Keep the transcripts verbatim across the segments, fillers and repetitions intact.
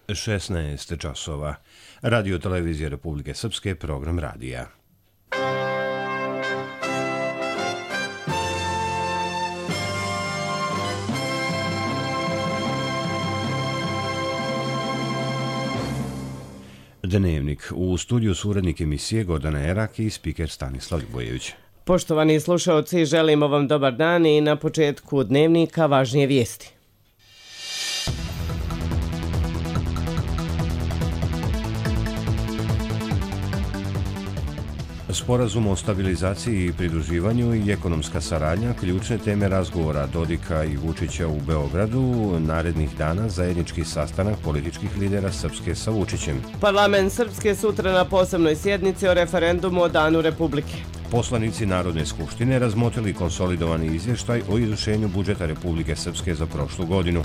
šesnaest časova. Radio televizija Republike Srpske, program radija. Dnevnik. U studiju su urednik emisije Gordana Erak i spiker Stanislav Ljubojević. Poštovani slušaoci, želimo vam dobar dan i na početku dnevnika važnije vijesti. Sporazum o stabilizaciji i pridruživanju i ekonomska saradnja, ključne teme razgovora Dodika i Vučića u Beogradu, narednih dana zajednički sastanak političkih lidera Srpske sa Vučićem. Parlament Srpske sutra na posebnoj sjednici o referendumu o Danu Republike. Poslanici Narodne skupštine razmotrili konsolidovani izvještaj o izvršenju budžeta Republike Srpske za prošlu godinu.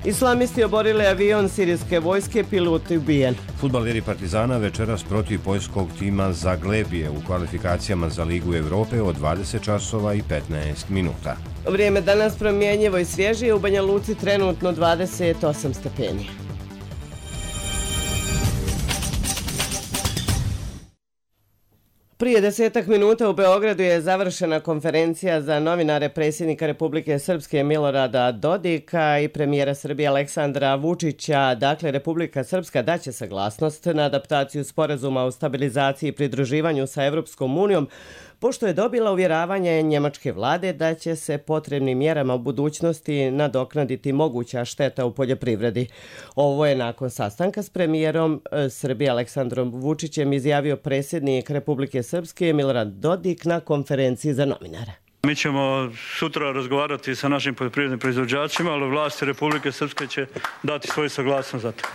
Islamisti oborili avion sirijske vojske, pilot ubijen. Fudbaleri Partizana večeras protiv poljskog tima Zaglebije u kvalifikacijama za Ligu Evrope od dvadeset časova i petnaest minuta. Vrijeme danas promjenjivo i svježije, u Banja Luci trenutno dvadeset osam stepeni. Prije desetak minuta u Beogradu je završena konferencija za novinare predsjednika Republike Srpske Milorada Dodika i premijera Srbije Aleksandra Vučića. Dakle, Republika Srpska daće saglasnost na adaptaciju sporazuma o stabilizaciji i pridruživanju sa Evropskom unijom, pošto je dobila uvjeravanje njemačke vlade da će se potrebnim mjerama u budućnosti nadoknaditi moguća šteta u poljoprivredi. Ovo je nakon sastanka s premijerom Srbije Aleksandrom Vučićem izjavio predsjednik Republike Srpske Milorad Dodik na konferenciji za novinare. Mi ćemo sutra razgovarati sa našim poljoprivrednim proizvođačima, ali vlasti Republike Srpske će dati svoju saglasnost za to.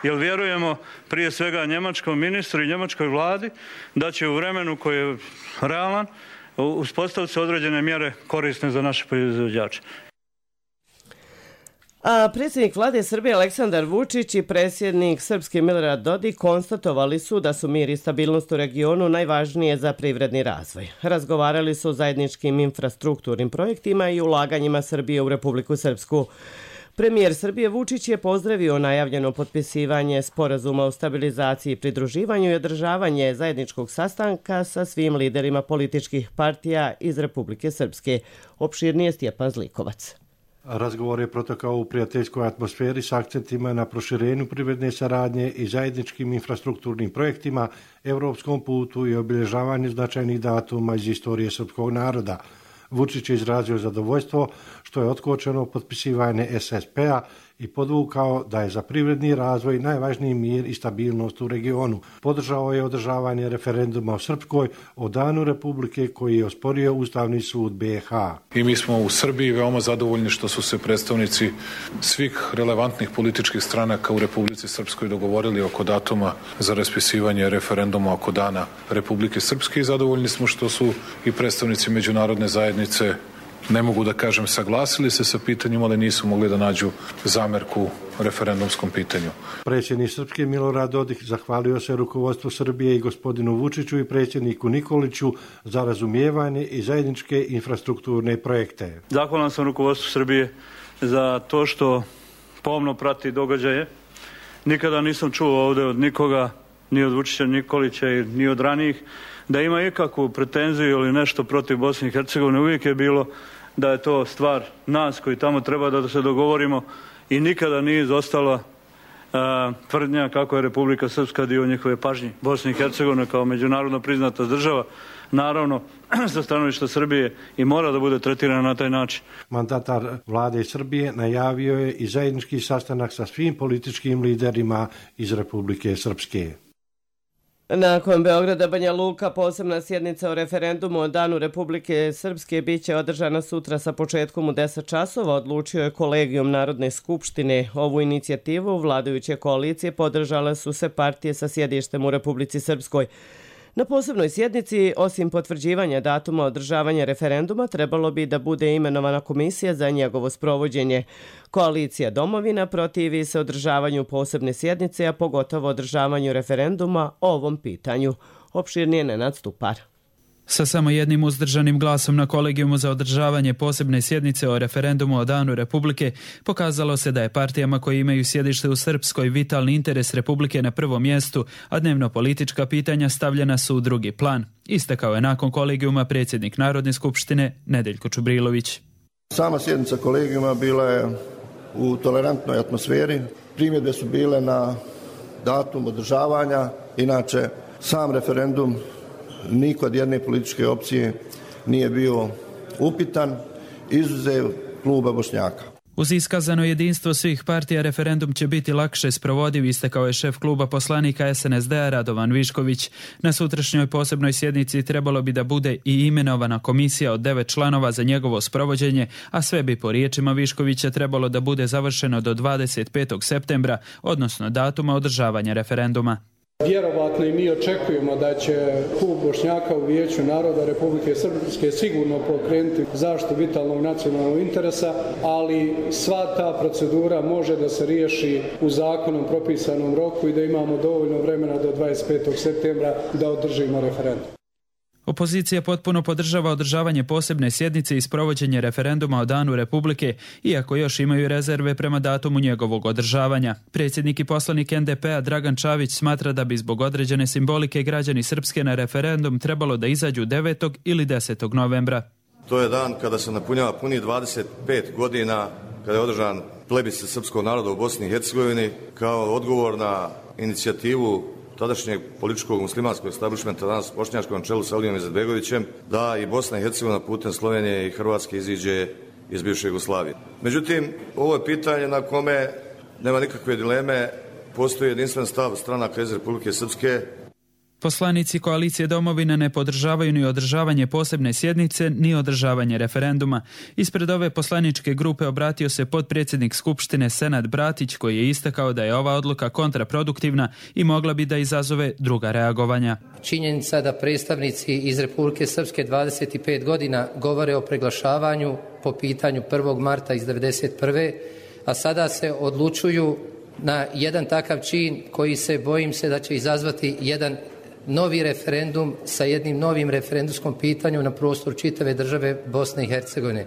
Jer vjerujemo prije svega njemačkom ministru i njemačkoj vladi da će u vremenu koji je realan uspostaviti se određene mjere korisne za naše proizvođače. A predsjednik vlade Srbije Aleksandar Vučić i predsjednik Srpske Milorad Dodik konstatovali su da su mir i stabilnost u regionu najvažnije za privredni razvoj. Razgovarali su o zajedničkim infrastrukturnim projektima i ulaganjima Srbije u Republiku Srpsku. Premijer Srbije Vučić je pozdravio najavljeno potpisivanje sporazuma o stabilizaciji i pridruživanju i održavanje zajedničkog sastanka sa svim liderima političkih partija iz Republike Srpske. Opširnije Stjepan Zlikovac. Razgovor je protekao u prijateljskoj atmosferi s akcentima na proširenju privredne saradnje i zajedničkim infrastrukturnim projektima, evropskom putu i obilježavanju značajnih datuma iz istorije srpskog naroda. Vučić je izrazio zadovoljstvo što je otkočeno potpisivanje es es pe-a i podvukao da je za privredni razvoj najvažniji mir i stabilnost u regionu. Podržao je održavanje referenduma o Srpskoj o Danu Republike koji je osporio Ustavni sud be ha. I mi smo u Srbiji veoma zadovoljni što su se predstavnici svih relevantnih političkih stranaka u Republici Srpskoj dogovorili oko datuma za raspisivanje referenduma oko Dana Republike Srpske i zadovoljni smo što su i predstavnici međunarodne zajednice, ne mogu da kažem saglasili se sa pitanjima, ali nisu mogli da nađu zamerku referendumskom pitanju. Predsjednik Srpske Milorad Dodik zahvalio se rukovodstvu Srbije i gospodinu Vučiću i predsjedniku Nikoliću za razumijevanje i zajedničke infrastrukturne projekte. Zahvalan sam rukovodstvu Srbije za to što pomno prati događaje. Nikada nisam čuo ovdje od nikoga, ni od Vučića Nikolića, ni od ranijih, da ima ikakvu pretenziju ili nešto protiv Bosne i Hercegovine. Uvijek je bilo da je to stvar nas koji tamo treba da se dogovorimo i nikada nije izostala uh, tvrdnja kako je Republika Srpska dio njihove pažnje. Bosna i Hercegovina kao međunarodno priznata država, naravno sa stanovišta Srbije i mora da bude tretirana na taj način. Mandatar vlade Srbije najavio je i zajednički sastanak sa svim političkim liderima iz Republike Srpske. Nakon Beograda Banja Luka, posebna sjednica o referendumu o Danu Republike Srpske biće održana sutra sa početkom u deset časova, odlučio je Kolegijum Narodne skupštine. Ovu inicijativu vladajuće koalicije podržale su se partije sa sjedištem u Republici Srpskoj. Na posebnoj sjednici, osim potvrđivanja datuma održavanja referenduma, trebalo bi da bude imenovana komisija za njegovo sprovođenje. Koalicija Domovina protivi se održavanju posebne sjednice, a pogotovo održavanju referenduma o ovom pitanju. Opširnije Nenad Stupar. Sa samo jednim uzdržanim glasom na kolegijumu za održavanje posebne sjednice o referendumu o Danu Republike pokazalo se da je partijama koji imaju sjedište u Srpskoj vitalni interes Republike na prvom mjestu, a dnevno politička pitanja stavljena su u drugi plan. Istakao je nakon kolegijuma predsjednik Narodne skupštine Nedeljko Čubrilović. Sama sjednica kolegijuma bila je u tolerantnoj atmosferi. Primjedbe su bile na datum održavanja. Inače, sam referendum ni kod jedne političke opcije nije bio upitan, izuzev kluba Bošnjaka. Uz iskazano jedinstvo svih partija referendum će biti lakše sprovodiv, istakao je šef kluba poslanika es en es de a Radovan Višković. Na sutrašnjoj posebnoj sjednici trebalo bi da bude i imenovana komisija od devet članova za njegovo sprovođenje, a sve bi po riječima Viškovića trebalo da bude završeno do dvadeset petog septembra, odnosno datuma održavanja referenduma. Vjerovatno i mi očekujemo da će klub Bošnjaka u Vijeću naroda Republike Srpske sigurno pokrenuti zaštitu vitalnog nacionalnog interesa, ali sva ta procedura može da se riješi u zakonom propisanom roku i da imamo dovoljno vremena do dvadeset petog septembra da održimo referendum. Opozicija potpuno podržava održavanje posebne sjednice i sprovođenje referenduma o Danu Republike, iako još imaju rezerve prema datumu njegovog održavanja. Predsjednik i poslanik en de pe a Dragan Čavić smatra da bi zbog određene simbolike građani Srpske na referendum trebalo da izađu devetog ili desetog novembra. To je dan kada se napunjava puni dvadeset pet godina kada je održan plebiscit srpskog naroda u Bosni i Hercegovini kao odgovor na inicijativu tadašnjeg političkog muslimanskog establishmenta, danas bošnjačkom čelu sa Alijom Izetbegovićem, da i Bosna i Hercegovina putem Slovenije i Hrvatske iziđe iz bivše Jugoslavije. Međutim, ovo je pitanje na kome nema nikakve dileme, postoji jedinstven stav stranaka iz Republike Srpske. Poslanici koalicije Domovina ne podržavaju ni održavanje posebne sjednice, ni održavanje referenduma. Ispred ove poslaničke grupe obratio se potpredsjednik Skupštine Senad Bratić, koji je istakao da je ova odluka kontraproduktivna i mogla bi da izazove druga reagovanja. Činjenica da predstavnici iz Republike Srpske dvadeset pet godina govore o preglašavanju po pitanju prvog marta iz devedeset prve. a sada se odlučuju na jedan takav čin koji se, bojim se, da će izazvati jedan novi referendum sa jednim novim referendumskom pitanjem na prostoru čitave države Bosne i Hercegovine.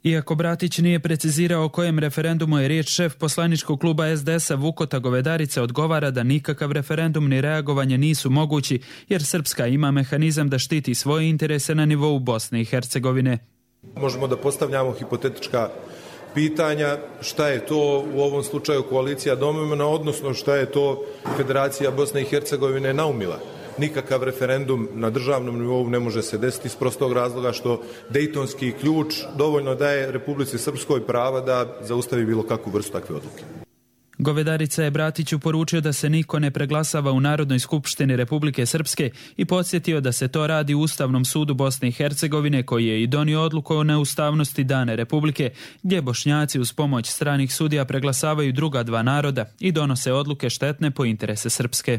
Iako Bratić nije precizirao o kojem referendumu je riječ, šef poslaničkog kluba es de es a Vukota Govedarica odgovara da nikakav referendum ni reagovanje nisu mogući, jer Srpska ima mehanizam da štiti svoje interese na nivou Bosne i Hercegovine. Možemo da postavljamo hipotetička pitanja šta je to u ovom slučaju koalicija Domovina, odnosno šta je to Federacija Bosne i Hercegovine naumila. Nikakav referendum na državnom nivou ne može se desiti iz prostog razloga što Dejtonski ključ dovoljno daje Republici Srpskoj prava da zaustavi bilo kakvu vrstu takve odluke. Govedarica je Bratiću poručio da se niko ne preglasava u Narodnoj skupštini Republike Srpske i podsjetio da se to radi u Ustavnom sudu Bosne i Hercegovine, koji je i donio odluku o neustavnosti dane Republike, gdje Bošnjaci uz pomoć stranih sudija preglasavaju druga dva naroda i donose odluke štetne po interese Srpske.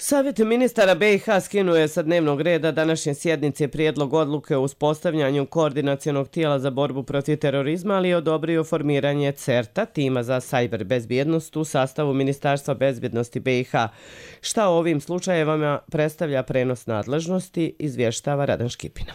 Savjet ministara be i ha skinuo je sa dnevnog reda današnje sjednice prijedlog odluke o uspostavljanju koordinacionog tijela za borbu protiv terorizma, ali je odobrio formiranje CERTA, tima za sajber bezbjednost u sastavu Ministarstva bezbjednosti be i ha. Šta u ovim slučajevima predstavlja prenos nadležnosti, izvještava Radan Škipina.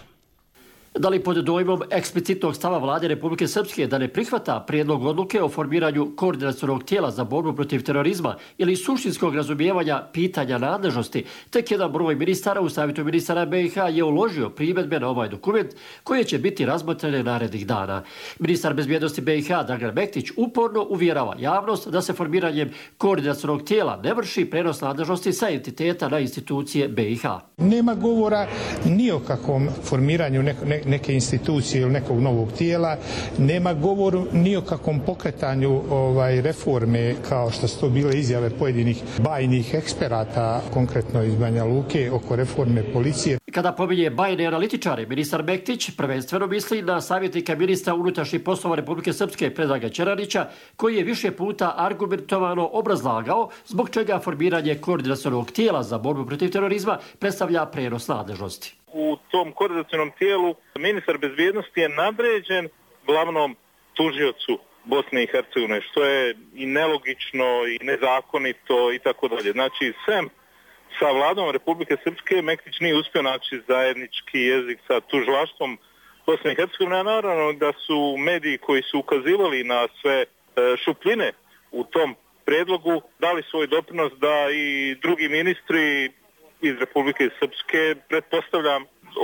Da li pod dojmom eksplicitnog stava vlade Republike Srpske da ne prihvata prijedlog odluke o formiranju koordinacionog tijela za borbu protiv terorizma ili suštinskog razumijevanja pitanja nadležnosti, tek jedan broj ministara u Savjetu ministara be i ha je uložio primjedbe na ovaj dokument koje će biti razmotrene narednih dana. Ministar bezbjednosti be i ha Dragan Mektić uporno uvjerava javnost da se formiranjem koordinacionog tijela ne vrši prenos nadležnosti sa entiteta na institucije be i ha. Nema govora ni o kakvom formiranju neko, ne, neke institucije ili nekog novog tijela, nema govoru ni o kakvom pokretanju ovaj, reforme, kao što su to bile izjave pojedinih bajnih eksperata, konkretno iz Banja Luke, oko reforme policije. Kada pominje bajne analitičare, ministar Mektić prvenstveno misli na savjetnika ministra unutrašnjih poslova Republike Srpske Predraga Čeranića, koji je više puta argumentovano obrazlagao zbog čega formiranje koordinacionog tijela za borbu protiv terorizma predstavlja prenos nadležnosti. U tom koordinacionom tijelu ministar bezbjednosti je nadređen glavnom tužiocu Bosne i Hercegovine, što je i nelogično i nezakonito i tako dalje. Znači, sem sa vladom Republike Srpske Mektić nije uspio naći zajednički jezik sa tužilaštvom Bosne i Hercegovine, a naravno da su mediji koji su ukazivali na sve šupljine u tom predlogu dali svoj doprinos da i drugi ministri iz Republike Srpske, pretpostavljam,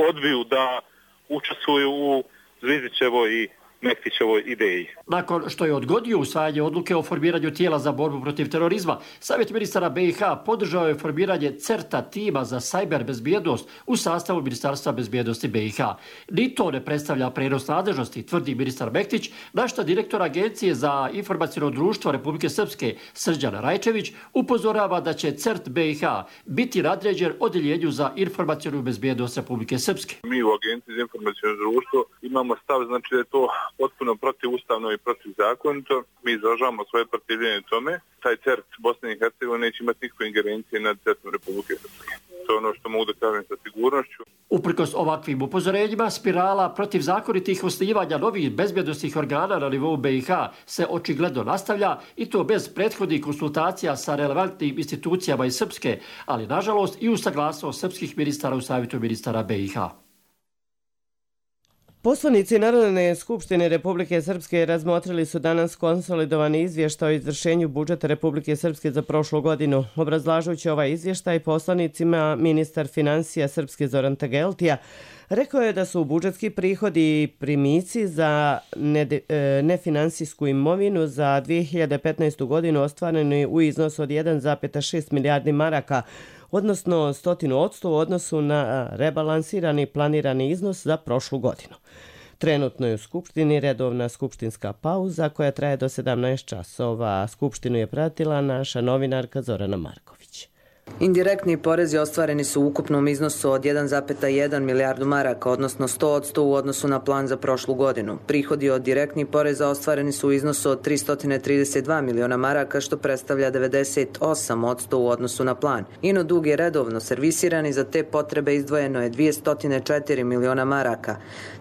odbiju da učestvuju u Zvizdićevoj i Mektićevoj ideji. Nakon što je odgodio usvajanje odluke o formiranju tijela za borbu protiv terorizma, Savjet ministara B i H podržao je formiranje CERTA tima za sajber bezbjednost u sastavu Ministarstva bezbjednosti B i H. Ni to ne predstavlja prenos nadležnosti, tvrdi ministar Mektić, na što direktor Agencije za informaciono društvo Republike Srpske Srđan Rajčević upozorava da će CERT B i H biti nadređen Odjeljenju za informacionu bezbjednost Republike Srpske. Mi u Agenciji za informaciono društvo imamo stav, znači da je to potpuno protivustavno i protivzakonito. Mi izražavamo svoje protivljenje tome. Taj CERT Bosne i Hercegovine neće imati nikakve ingerencije nad CERTom Republike Srpske. To je ono što mogu da kažem sa sigurnošću. Uprkos ovakvim upozorenjima, spirala protivzakonitih osnivanja novih bezbjednosnih organa na nivou B i H se očigledno nastavlja i to bez prethodnih konsultacija sa relevantnim institucijama iz Srpske, ali nažalost i uz saglasnost srpskih ministara u Savjetu ministara B i H. Poslanici Narodne skupštine Republike Srpske razmotrili su danas konsolidovani izvještaj o izvršenju budžeta Republike Srpske za prošlu godinu. Obrazlažujući ovaj izvještaj poslanicima, ministar financija Srpske Zoran Tegeltija rekao je da su budžetski prihodi i primici za nefinansijsku imovinu za dvije hiljade petnaestu. godinu ostvareni u iznosu od jedan zarez šest milijardi maraka, odnosno stotinu odsto u odnosu na rebalansirani planirani iznos za prošlu godinu. Trenutno je u Skupštini redovna skupštinska pauza koja traje do sedamnaest časova. Skupštinu je pratila naša novinarka Zorana Marković. Indirektni porezi ostvareni su u ukupnom iznosu od jedan zarez jedan milijardu maraka, odnosno sto odsto u odnosu na plan za prošlu godinu. Prihodi od direktnih poreza ostvareni su u iznosu od tristo trideset dva miliona maraka, što predstavlja devedeset osam odsto u odnosu na plan. Ino dug je redovno servisiran i za te potrebe izdvojeno je dvjesto četiri miliona maraka.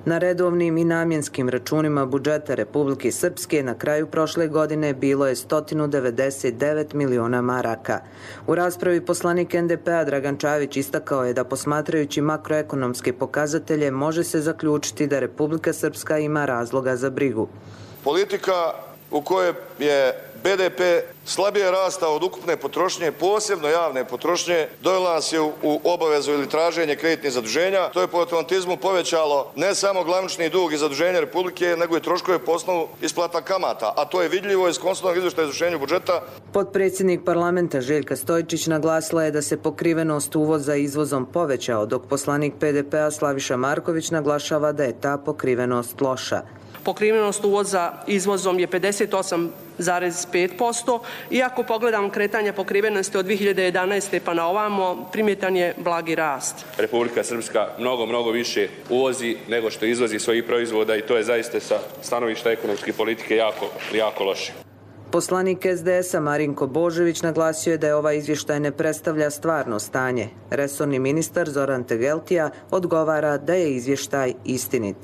Na redovnim i namjenskim računima budžeta Republike Srpske na kraju prošle godine bilo je sto devedeset devet miliona maraka. U raspravi poslanik N D P-a Dragan Čavić istakao je da posmatrajući makroekonomske pokazatelje može se zaključiti da Republika Srpska ima razloga za brigu. Politika u kojoj je B D P slabije rastao od ukupne potrošnje, posebno javne potrošnje, dovela nas je u obavezu ili traženje kreditnih zaduženja. To je po automatizmu povećalo ne samo glavnični dug i zaduženje Republike, nego i troškove po osnovu isplata kamata, a to je vidljivo iz konstantnog izvještaja o izvršenju budžeta. Potpredsjednik parlamenta Željka Stojčić naglasila je da se pokrivenost uvoza izvozom povećao, dok poslanik P D P-a Slaviša Marković naglašava da je ta pokrivenost loša. Pokrivenost uvoza izvozom je pedeset osam zarez pet posto. Iako pogledamo kretanje pokrivenosti od dvije hiljade jedanaeste. pa na ovamo, primjetan je blagi rast. Republika Srpska mnogo, mnogo više uvozi nego što izvozi svojih proizvoda i to je zaista sa stanovišta ekonomske politike jako, jako loše. Poslanik S D S-a Marinko Božović naglasio je da je ovaj izvještaj ne predstavlja stvarno stanje. Resorni ministar Zoran Tegeltija odgovara da je izvještaj istinit.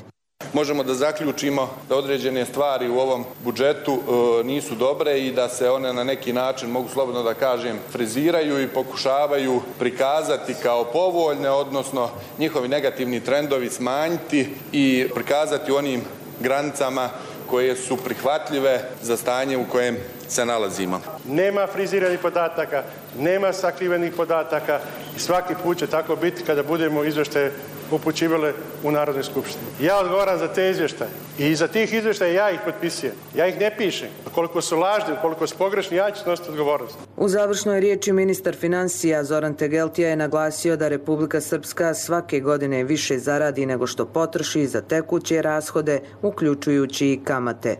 Možemo da zaključimo da određene stvari u ovom budžetu e, nisu dobre i da se one na neki način, mogu slobodno da kažem, friziraju i pokušavaju prikazati kao povoljne, odnosno njihovi negativni trendovi smanjiti i prikazati u onim granicama koje su prihvatljive za stanje u kojem se nalazimo. Nema friziranih podataka, nema sakrivenih podataka i svaki put će tako biti kada budemo izvještaje upućivale u Narodnoj skupštini. Ja odgovaram za te izvještaje i iza tih izvještaja ja ih potpisujem. Ja ih ne pišem. Koliko su lažni, koliko su pogrešni, ja ću snositi odgovornost. U završnoj riječi ministar financija Zoran Tegeltija je naglasio da Republika Srpska svake godine više zaradi nego što potroši za tekuće rashode, uključujući i kamate.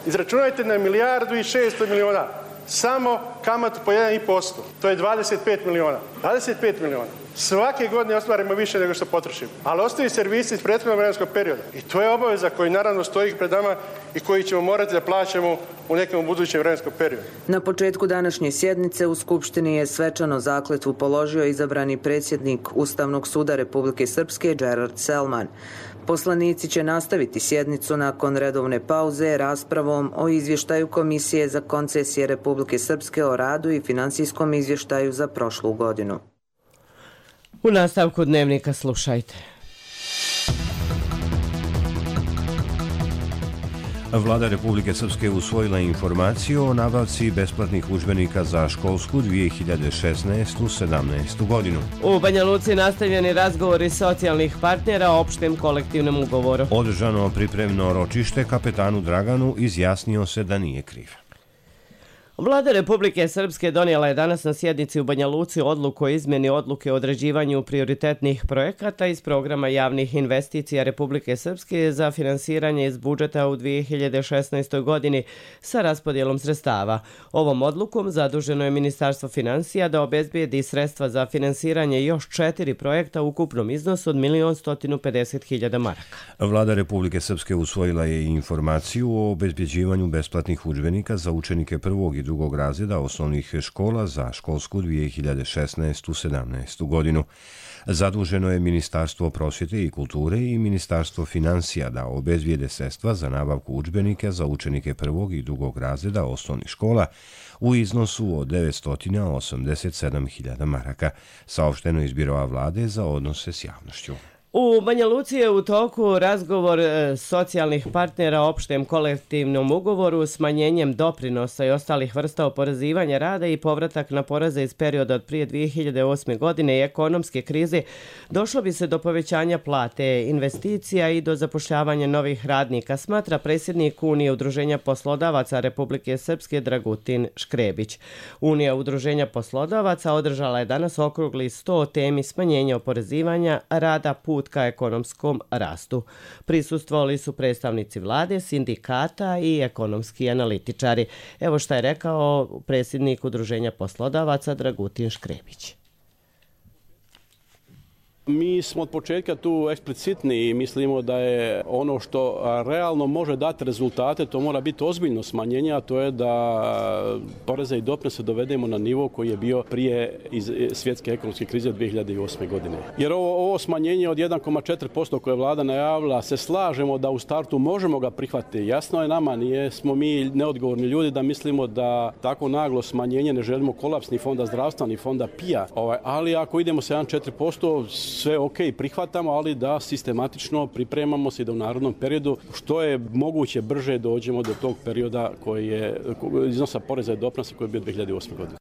Izračunajte na milijardu i šesto miliona. Samo kamatu po jedan zarez pet posto. To je dvadeset pet miliona. dvadeset pet miliona. Svake godine ostvarimo više nego što potrošimo. Ali ostaju servisi iz prethodnog vremenskog perioda. I to je obaveza koji naravno stoji pred nama i koji ćemo morati da plaćamo u nekom budućem vremenskom periodu. Na početku današnje sjednice u Skupštini je svečano zakletvu položio izabrani predsjednik Ustavnog suda Republike Srpske Džerard Selman. Poslanici će nastaviti sjednicu nakon redovne pauze raspravom o izvještaju Komisije za koncesije Republike Srpske o radu i finansijskom izvještaju za prošlu godinu. U nastavku Dnevnika slušajte. Vlada Republike Srpske usvojila informaciju o nabavci besplatnih udžbenika za školsku dvije hiljade šesnaestu sedamnaestu godinu. U Banja Luci nastavljeni razgovori socijalnih partnera o opštem kolektivnom ugovoru. Održano pripremno ročište, kapetanu Draganu izjasnio se da nije kriv. Vlada Republike Srpske donijela je danas na sjednici u Banja Luci odluku o izmjeni odluke o određivanju prioritetnih projekata iz programa javnih investicija Republike Srpske za finansiranje iz budžeta u dvije hiljade šesnaestoj godini sa raspodjelom sredstava. Ovom odlukom zaduženo je Ministarstvo financija da obezbijedi sredstva za finansiranje još četiri projekta u ukupnom iznosu od milion stotinu pedeset hiljada maraka. Vlada Republike Srpske usvojila je i informaciju o obezbjeđivanju besplatnih udžbenika za učenike prvog i drugog razreda osnovnih škola za školsku dvije hiljade šesnaestu sedamnaestu godinu. Zaduženo je Ministarstvo prosvjete i kulture i Ministarstvo financija da obezbijede sredstva za nabavku udžbenika za učenike prvog i drugog razreda osnovnih škola u iznosu od devetsto osamdeset sedam hiljada maraka, saopšteno iz Biroa vlade za odnose s javnošću. U Banja Luci je u toku razgovor socijalnih partnera o opštem kolektivnom ugovoru, smanjenjem doprinosa i ostalih vrsta oporezivanja rada i povratak na poreze iz perioda od prije dvije hiljade osme. godine i ekonomske krize. Došlo bi se do povećanja plate, investicija i do zapošljavanja novih radnika, smatra predsjednik Unije udruženja poslodavaca Republike Srpske Dragutin Škrebić. Unija udruženja poslodavaca održala je danas okrugli sto o temi smanjenja oporezivanja rada, put ka ekonomskom rastu. Prisustvovali su predstavnici vlade, sindikata i ekonomski analitičari. Evo šta je rekao predsjednik udruženja poslodavaca Dragutin Škrebić. Mi smo od početka tu eksplicitni i mislimo da je ono što realno može dati rezultate, to mora biti ozbiljno smanjenje, a to je da poreze i doprinose dovedemo na nivo koji je bio prije iz svjetske ekonomske krize dvije hiljade osme. godine. Jer ovo, ovo smanjenje od jedan zarez četiri posto koje je vlada najavila, se slažemo da u startu možemo ga prihvatiti. Jasno je nama, nije smo mi neodgovorni ljudi da mislimo da tako naglo smanjenje ne želimo kolaps ni fonda zdravstva ni fonda P I A, ovaj, ali ako idemo sa jedan zarez četiri posto sve ok, prihvatamo, ali da sistematično pripremamo se da u narodnom periodu što je moguće brže dođemo do tog perioda koji je iznosa poreza i doprinosa koji je bio dvije hiljade osme. godine.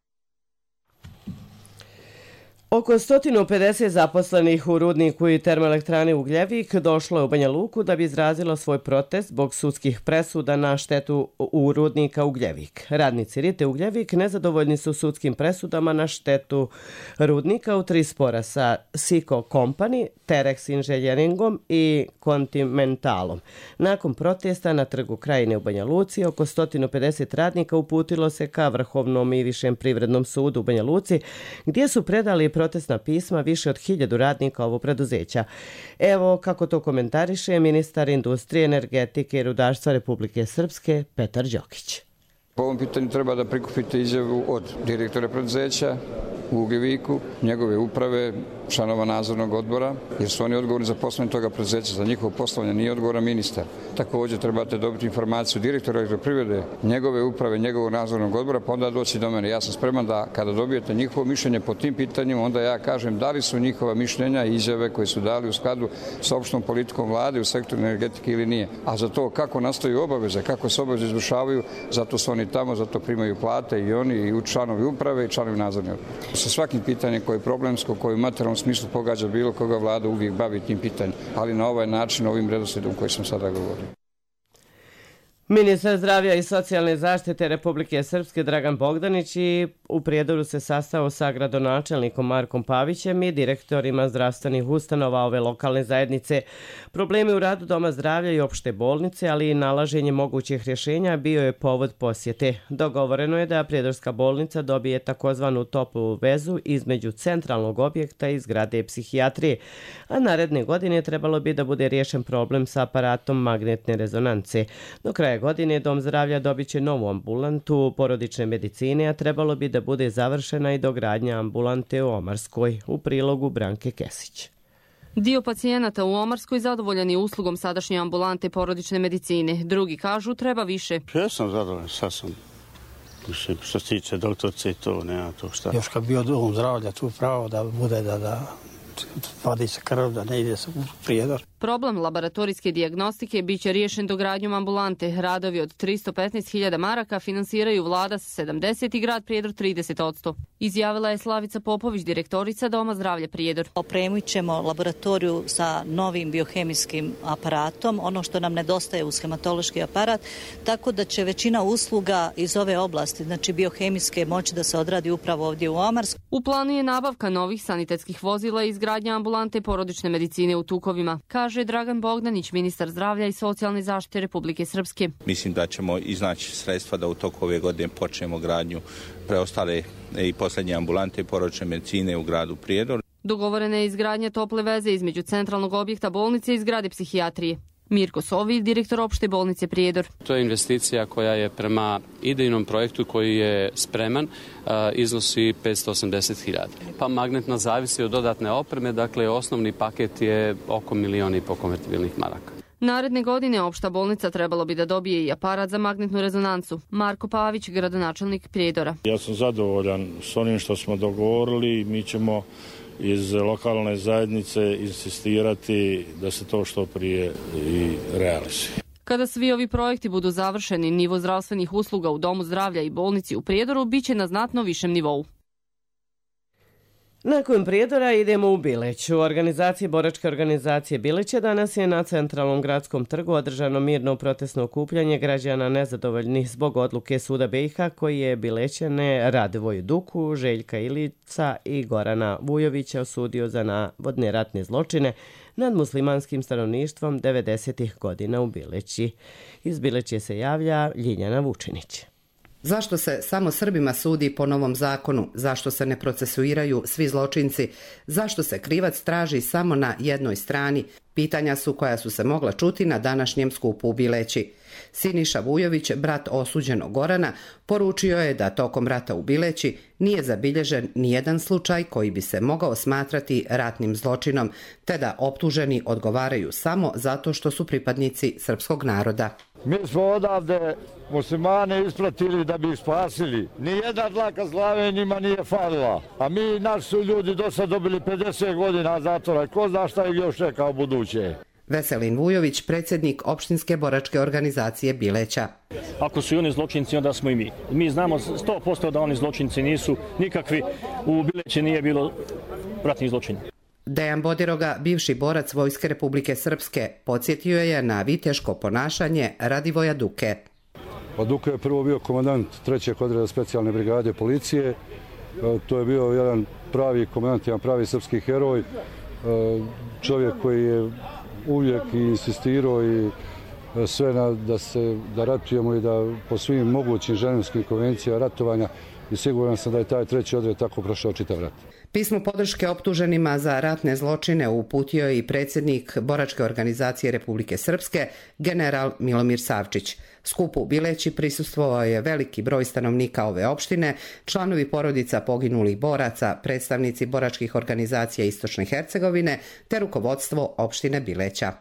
Oko sto pedeset zaposlenih u rudniku i termoelektrani Ugljevik došlo je u Banja Luku da bi izrazilo svoj protest zbog sudskih presuda na štetu u rudnika Ugljevik. Radnici Rite Ugljevik nezadovoljni su sudskim presudama na štetu rudnika u tri spora sa Siko Company, Terex Inženjeringom i Continentalom. Nakon protesta na trgu Krajine u Banja Luci, oko sto pedeset radnika uputilo se ka Vrhovnom i Višem privrednom sudu u Banja Luci, gdje su predali protestna pisma više od hiljadu radnika ovog preduzeća. Evo kako to komentariše ministar industrije, energetike i rudarstva Republike Srpske Petar Đokić. Po ovom pitanju treba da prikupite izjavu od direktora preduzeća u Ugljeviku, njegove uprave, članova nadzornog odbora, jer su oni odgovorni za poslovanje toga preduzeća. Za njihovo poslovanje nije odgovoran ministar. Također trebate dobiti informaciju direktora elektroprivrede, njegove uprave, njegovog nadzornog odbora, pa onda doći do mene. Ja sam spreman da kada dobijete njihovo mišljenje po tim pitanjima, onda ja kažem da li su njihova mišljenja i izjave koje su dali u skladu sa opštom politikom vlade u sektoru energetike ili nije. A za to kako nastaju obaveze, kako se obaveze izvršavaju, zato su oni tamo, zato primaju plate i oni i članovi uprave i članovi nadzornog odbora. Sa svakim pitanjem koje je problemsko, koje u materijalnom smislu pogađa bilo koga, vlada uvijek bavi tim pitanjem, ali na ovaj način, ovim redoslijedom koji sam sada govorio. Ministar zdravlja i socijalne zaštite Republike Srpske Dragan Bogdanić i u Prijedoru se sastao sa gradonačelnikom Markom Pavićem i direktorima zdravstvenih ustanova ove lokalne zajednice. Problemi u radu Doma zdravlja i opšte bolnice, ali i nalaženje mogućih rješenja bio je povod posjete. Dogovoreno je da Prijedorska bolnica dobije takozvanu toplu vezu između centralnog objekta i zgrade psihijatrije, a naredne godine trebalo bi da bude riješen problem sa aparatom magnetne rezonance. Do kraja godine Dom zdravlja dobit će novu ambulantu porodične medicine, a trebalo bi da bude završena i dogradnja ambulante u Omarskoj, u prilogu Branke Kesić. Dio pacijenata u Omarskoj zadovoljan je uslugom sadašnje ambulante porodične medicine. Drugi kažu treba više. Ja sam zadovoljan, sad sam. Što se tiče doktorce i to, nema to šta. Još kad bio Dom zdravlja tu pravo da bude da, da vadi se krv da ne ide se u Prijedor. Problem laboratorijske dijagnostike biće riješen dogradnjom ambulante. Radovi od tristo petnaest hiljada maraka finansiraju vlada sa sedamdeset i grad Prijedor trideset posto. Izjavila je Slavica Popović, direktorica Doma zdravlja Prijedor. Opremit ćemo laboratoriju sa novim biohemijskim aparatom, ono što nam nedostaje uz hematološki aparat, tako da će većina usluga iz ove oblasti, znači biohemijske, moći da se odradi upravo ovdje u Omarsku. U planu je nabavka novih sanitetskih vozila i izgradnja ambulante porodične medicine u Tukovima, kaže Dragan Bogdanić, ministar zdravlja i socijalne zaštite Republike Srpske. Mislim da ćemo iznaći sredstva da u toku ove godine počnemo gradnju preostale i posljednje ambulante porodične medicine u gradu Prijedor. Dogovorena je izgradnja tople veze između centralnog objekta bolnice i zgrade psihijatrije. Mirko Sovi, direktor opšte bolnice Prijedor. To je investicija koja je prema idejnom projektu koji je spreman, iznosi petsto osamdeset hiljada. Pa magnetna zavisi od dodatne opreme, dakle osnovni paket je oko milijon i po konvertibilnih maraka. Naredne godine opšta bolnica trebalo bi da dobije i aparat za magnetnu rezonancu. Marko Pavić, gradonačelnik Prijedora. Ja sam zadovoljan s onim što smo dogovorili. Mi ćemo iz lokalne zajednice insistirati da se to što prije i realizuje. Kada svi ovi projekti budu završeni, nivo zdravstvenih usluga u Domu zdravlja i bolnici u Prijedoru biće na znatno višem nivou. Nakon Prijedora idemo u Bileć. U organizaciji Boračke organizacije Bileća danas je na centralnom gradskom trgu održano mirno protestno okupljanje građana nezadovoljnih zbog odluke Suda B i H koji je Bilećane Radivoju Duku, Željka Ilica i Gorana Vujovića osudio za navodne ratne zločine nad muslimanskim stanovništvom devedesetih godina u Bileći. Iz Bileće se javlja Ljiljana Vučinić. Zašto se samo Srbima sudi po novom zakonu? Zašto se ne procesuiraju svi zločinci? Zašto se krivac traži samo na jednoj strani? Pitanja su koja su se mogla čuti na današnjem skupu u Bileći. Siniša Vujović, brat osuđenog Gorana, poručio je da tokom rata u Bileći nije zabilježen nijedan slučaj koji bi se mogao smatrati ratnim zločinom, te da optuženi odgovaraju samo zato što su pripadnici srpskog naroda. Mi smo odavde muslimane ispratili da bi ih spasili. Nijedna dlaka glave njima nije falila. A mi, naši su ljudi do sad dobili pedeset godina zatvora. Ko zna šta ih još čeka u buduće? Veselin Vujović, predsjednik opštinske boračke organizacije Bileća. Ako su i oni zločinci, onda smo i mi. Mi znamo sto posto da oni zločinci nisu nikakvi. U Bileći nije bilo ratnih zločina. Dejan Bodiroga, bivši borac Vojske Republike Srpske, podsjetio je na viteško ponašanje Radivoja Duke. Pa Duke je prvo bio komandant trećeg odreda specijalne brigade policije. To je bio jedan pravi komandant, jedan pravi srpski heroj. Čovjek koji je uvijek insistirao i sve na, da se da ratujemo i da po svim mogućim ženevskim konvencijama ratovanja, i siguran sam da je taj treći odred tako prošao čitav rat. Pismo podrške optuženima za ratne zločine uputio je i predsjednik Boračke organizacije Republike Srpske, general Milomir Savčić. Skupu u Bileći prisustvovao je veliki broj stanovnika ove opštine, članovi porodica poginulih boraca, predstavnici boračkih organizacija Istočne Hercegovine te rukovodstvo opštine Bileća.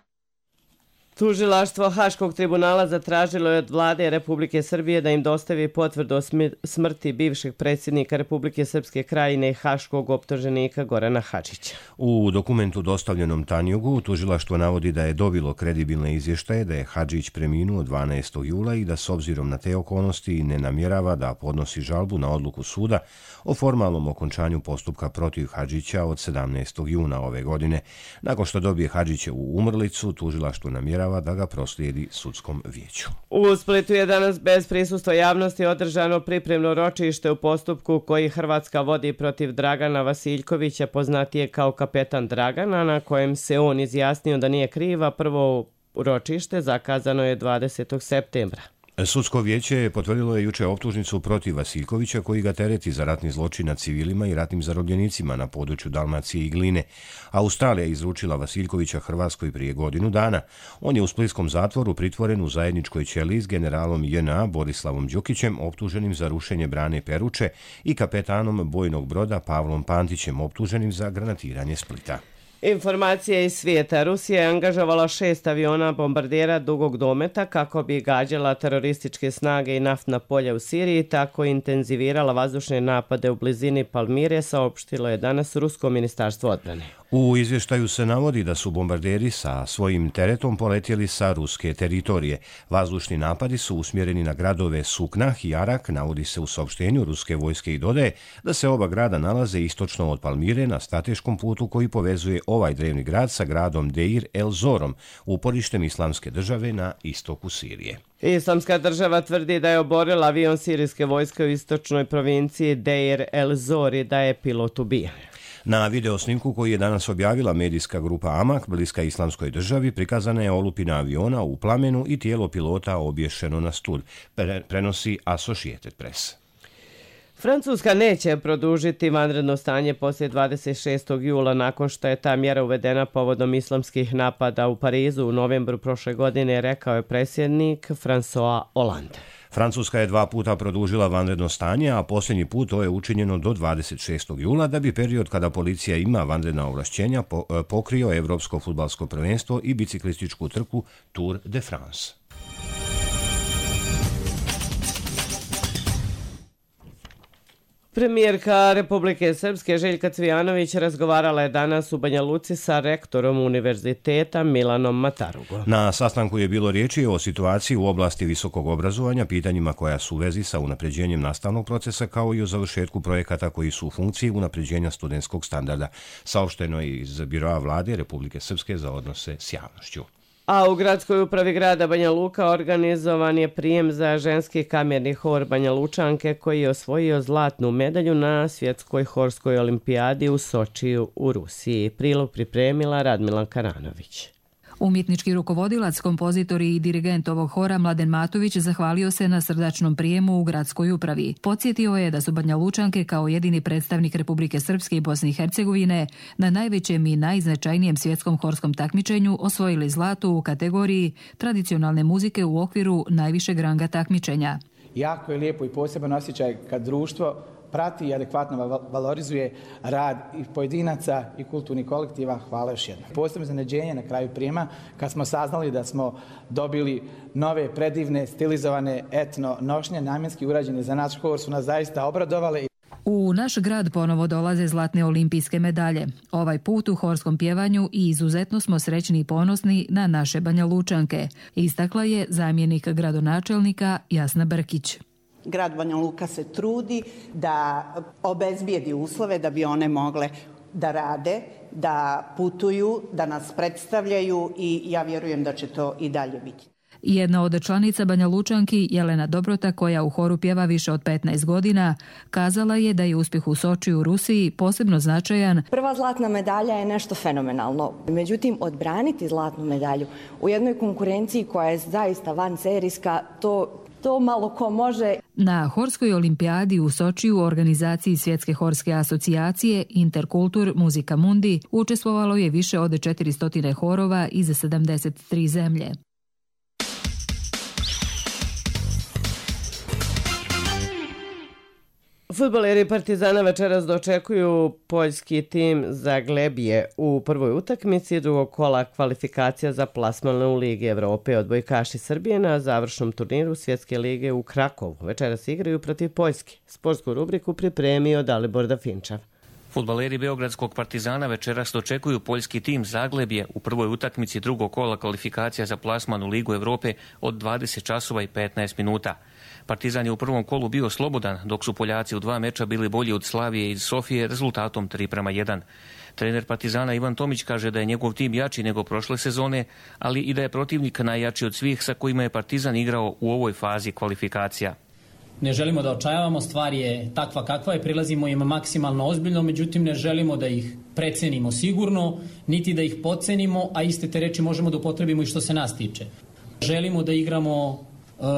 Tužilaštvo Haškog tribunala zatražilo je od vlade Republike Srbije da im dostavi potvrdu o smrti bivšeg predsjednika Republike Srpske Krajine i haškog optuženika Gorana Hadžića. U dokumentu dostavljenom Tanjugu tužilaštvo navodi da je dobilo kredibilne izvještaje da je Hadžić preminuo dvanaestog jula i da s obzirom na te okolnosti ne namjerava da podnosi žalbu na odluku suda o formalnom okončanju postupka protiv Hadžića od sedamnaestog juna ove godine. Nakon što dobije Hadžićevu umrlicu, tužilaštvo namjerava da ga proslijedi sudskom vijeću. U Splitu je danas bez prisustva javnosti održano pripremno ročište u postupku koji Hrvatska vodi protiv Dragana Vasiljkovića, poznatije kao kapetan Dragana, na kojem se on izjasnio da nije kriva. Prvo ročište zakazano je dvadesetog septembra. Sudsko vijeće potvrdilo je juče optužnicu protiv Vasiljkovića koji ga tereti za ratni zločin nad civilima i ratnim zarobljenicima na području Dalmacije i Gline. Australija izručila Vasiljkovića Hrvatskoj prije godinu dana. On je u splitskom zatvoru pritvoren u zajedničkoj ćeliji s generalom J N A Borislavom Đukićem, optuženim za rušenje brane Peruče, i kapetanom bojnog broda Pavlom Pantićem, optuženim za granatiranje Splita. Informacije iz svijeta. Rusija je angažovala šest aviona bombardera dugog dometa kako bi gađala terorističke snage i naftna polja u Siriji, tako intenzivirala vazdušne napade u blizini Palmire, saopštilo je danas Rusko ministarstvo odbrane. U izvještaju se navodi da su bombarderi sa svojim teretom poletjeli sa ruske teritorije. Vazdušni napadi su usmjereni na gradove Suknah i Arak, navodi se u saopštenju ruske vojske i dodaje da se oba grada nalaze istočno od Palmire na strateškom putu koji povezuje ovaj drevni grad sa gradom Deir el-Zorom, uporištem islamske države na istoku Sirije. Islamska država tvrdi da je oborila avion sirijske vojske u istočnoj provinciji Deir el-Zor i da je pilot ubijen. Na videosnimku koji je danas objavila medijska grupa Amak, bliska islamskoj državi, prikazana je olupina aviona u plamenu i tijelo pilota obješeno na stud, Pre, prenosi Associated Press. Francuska neće produžiti vanredno stanje poslije dvadeset šestog jula nakon što je ta mjera uvedena povodom islamskih napada u Parizu u novembru prošle godine, rekao je predsjednik François Hollande. Francuska je dva puta produžila vanredno stanje, a posljednji put to je učinjeno do dvadeset šestog jula, da bi period kada policija ima vanredna ovlašćenja pokrio Evropsko fudbalsko prvenstvo i biciklističku trku Tour de France. Premijerka Republike Srpske Željka Cvijanović razgovarala je danas u Banja Luci sa rektorom univerziteta Milanom Matarugom. Na sastanku je bilo riječi o situaciji u oblasti visokog obrazovanja, pitanjima koja su u vezi sa unapređenjem nastavnog procesa kao i o završetku projekata koji su u funkciji unapređenja studentskog standarda, saopšteno je iz Biroa vlade Republike Srpske za odnose s javnošću. A u gradskoj upravi grada Banja Luka organizovan je prijem za ženski kamerni hor Banja Lučanke koji je osvojio zlatnu medalju na svjetskoj horskoj olimpijadi u Sočiju u Rusiji. Prilog pripremila Radmila Karanović. Umjetnički rukovodilac, kompozitor i dirigent ovog hora Mladen Matović zahvalio se na srdačnom prijemu u gradskoj upravi. Podsjetio je da su Banja Lučanke kao jedini predstavnik Republike Srpske i Bosne i Hercegovine na najvećem i najznačajnijem svjetskom horskom takmičenju osvojili zlato u kategoriji tradicionalne muzike u okviru najvišeg ranga takmičenja. Jako je lijepo i poseban osjećaj kad društvo prati i adekvatno valorizuje rad i pojedinaca i kulturnih kolektiva. Hvala još jednom. Posebno iznenađenje na kraju prijema kad smo saznali da smo dobili nove, predivne, stilizovane etno nošnje, namjenski urađene za naš hor, su nas zaista obradovale. U naš grad ponovo dolaze zlatne olimpijske medalje. Ovaj put u horskom pjevanju i izuzetno smo srećni i ponosni na naše Banja Lučanke, istakla je zamjenik gradonačelnika Jasna Brkić. Grad Banja Luka se trudi da obezbijedi uslove da bi one mogle da rade, da putuju, da nas predstavljaju i ja vjerujem da će to i dalje biti. Jedna od članica Banja Lučanki, Jelena Dobrota, koja u horu pjeva više od petnaest godina, kazala je da je uspjeh u Sočiju u Rusiji posebno značajan. Prva zlatna medalja je nešto fenomenalno. Međutim, odbraniti zlatnu medalju u jednoj konkurenciji koja je zaista vanserijska, to To malo ko može. Na horskoj olimpijadi u Sočiju u organizaciji Svjetske horske asocijacije Interkultur Muzika Mundi učestvovalo je više od četiristo horova iz sedamdeset tri zemlje. Fudbaleri Partizana večeras dočekuju poljski tim Zaglebije u prvoj utakmici drugog kola kvalifikacija za plasman u Ligi Evrope. Odbojkaši Srbije na završnom turniru Svjetske lige u Krakovu večeras igraju protiv Poljske. Sportsku rubriku pripremio Dalibor Dafinčav. Fudbaleri Beogradskog Partizana večeras dočekuju poljski tim Zaglebje u prvoj utakmici drugog kola kvalifikacija za plasman u Ligu Evrope od dvadeset časova i petnaest minuta. Partizan je u prvom kolu bio slobodan, dok su Poljaci u dva meča bili bolji od Slavije iz Sofije rezultatom tri prema jedan. Trener Partizana Ivan Tomić kaže da je njegov tim jači nego prošle sezone, ali i da je protivnik najjači od svih sa kojima je Partizan igrao u ovoj fazi kvalifikacija. Ne želimo da očajavamo, stvar je takva kakva je, prilazimo im maksimalno ozbiljno, međutim ne želimo da ih precenimo sigurno, niti da ih podcenimo, a iste te reči možemo da upotrebimo i što se nas tiče. Želimo da igramo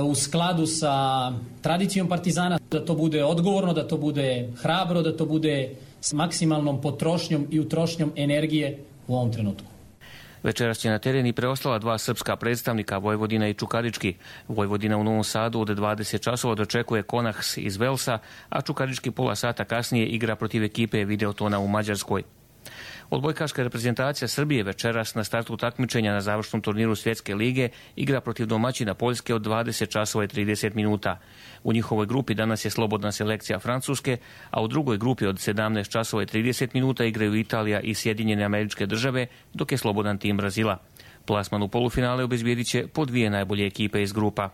u skladu sa tradicijom Partizana, da to bude odgovorno, da to bude hrabro, da to bude s maksimalnom potrošnjom i utrošnjom energije u ovom trenutku. Večeras će na teren i preostala dva srpska predstavnika, Vojvodina i Čukarički. Vojvodina u Novom Sadu od dvadeset časova dočekuje Konahs iz Velsa, a Čukarički pola sata kasnije igra protiv ekipe Videotona u Mađarskoj. Odbojkaška reprezentacija Srbije večeras na startu takmičenja na završnom turniru Svjetske lige igra protiv domaćina Poljske od dvadeset časova i trideset minuta. U njihovoj grupi danas je slobodna selekcija Francuske, a u drugoj grupi od sedamnaest časova i trideset minuta igraju Italija i Sjedinjene Američke Države, dok je slobodan tim Brazila. Plasman u polufinale obezbijedit će po dvije najbolje ekipe iz grupa.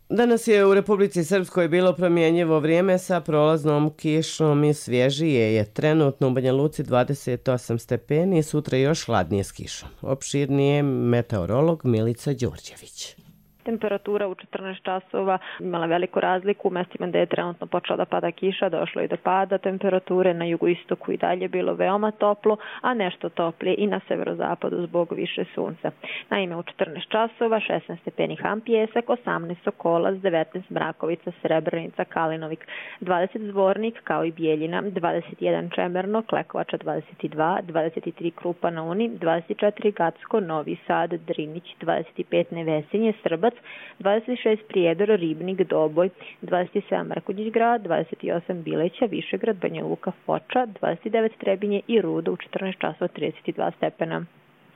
Danas je u Republici Srpskoj bilo promjenjivo vrijeme sa prolaznom kišom i svježije je trenutno u Banja Luci dvadeset osam stepeni, sutra još hladnije s kišom. Opširnije meteorolog Milica Đurđević. Temperatura u četrnaest časova imala veliku razliku. U mestima gde je trenutno počela da pada kiša, došlo je do pada temperature. Na jugoistoku i dalje bilo veoma toplo, a nešto toplije i na severozapadu zbog više sunca. Naime, u četrnaest časova šesnaest stepeni Ham Pjesak, osamnaest Sokolac, devetnaest Mrakovica, Srebrenica, Kalinovik, dvadeset Zvornik kao i Bijeljina, dvadeset jedan Čemerno, Klekovača dvadeset dva, dvadeset tri Krupa na Uni, dvadeset četiri Gacko, Novi Sad, Drinić, dvadeset pet Nevesinje, Srbac, dvadeset šest Prijedor, Ribnik, Doboj, dvadeset sedam Mrkonjić grad, dvadeset osam Bileća, Višegrad, Banja Luka, Foča, dvadeset devet Trebinje i Rudo u četrnaest časova trideset dva stepena.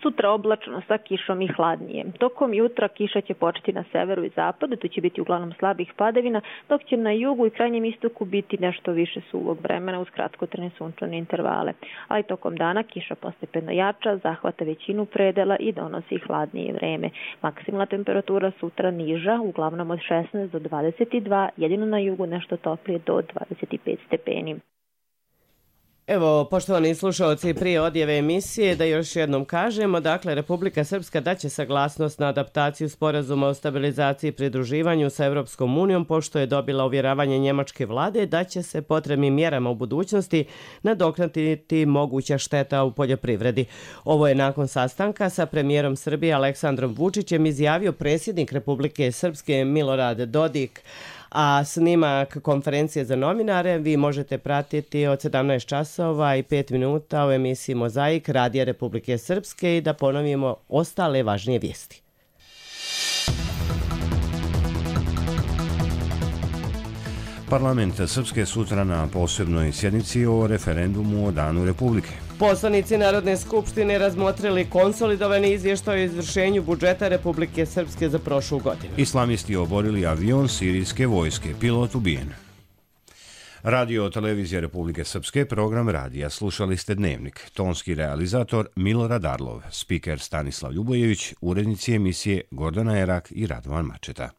Sutra oblačno sa kišom i hladnije. Tokom jutra kiša će početi na severu i zapadu, tu će biti uglavnom slabih padavina, dok će na jugu i krajnjem istoku biti nešto više suvog vremena uz kratkotrajne sunčane intervale. Ali tokom dana kiša postepeno jača, zahvata većinu predela i donosi hladnije vreme. Maksimalna temperatura sutra niža, uglavnom od šesnaest do dvadeset dva, jedino na jugu nešto toplije do dvadeset pet stepeni. Evo, poštovani slušalci, prije odjave emisije da još jednom kažemo, dakle, Republika Srpska daće saglasnost na adaptaciju sporazuma o stabilizaciji i pridruživanju sa Evropskom unijom, pošto je dobila uvjeravanje njemačke vlade da će se potrebnim mjerama u budućnosti nadoknaditi moguća šteta u poljoprivredi. Ovo je nakon sastanka sa premijerom Srbije Aleksandrom Vučićem izjavio predsjednik Republike Srpske Milorad Dodik. A snimak konferencije za novinare vi možete pratiti od sedamnaest časova i pet minuta u emisiji Mozaik Radija Republike Srpske i da ponovimo ostale važnije vijesti. Parlament Srpske sutra na posebnoj sjednici o referendumu o Danu Republike. Poslanici Narodne skupštine razmotrili konsolidovani izvještaj o izvršenju budžeta Republike Srpske za prošlu godinu. Islamisti oborili avion sirijske vojske, pilot ubijen. Radio televizija Republike Srpske, program radija. Slušali ste Dnevnik. Tonski realizator Milorad Arlov, spiker Stanislav Ljubojević, urednici emisije Gordana Erak i Radovan Mačeta.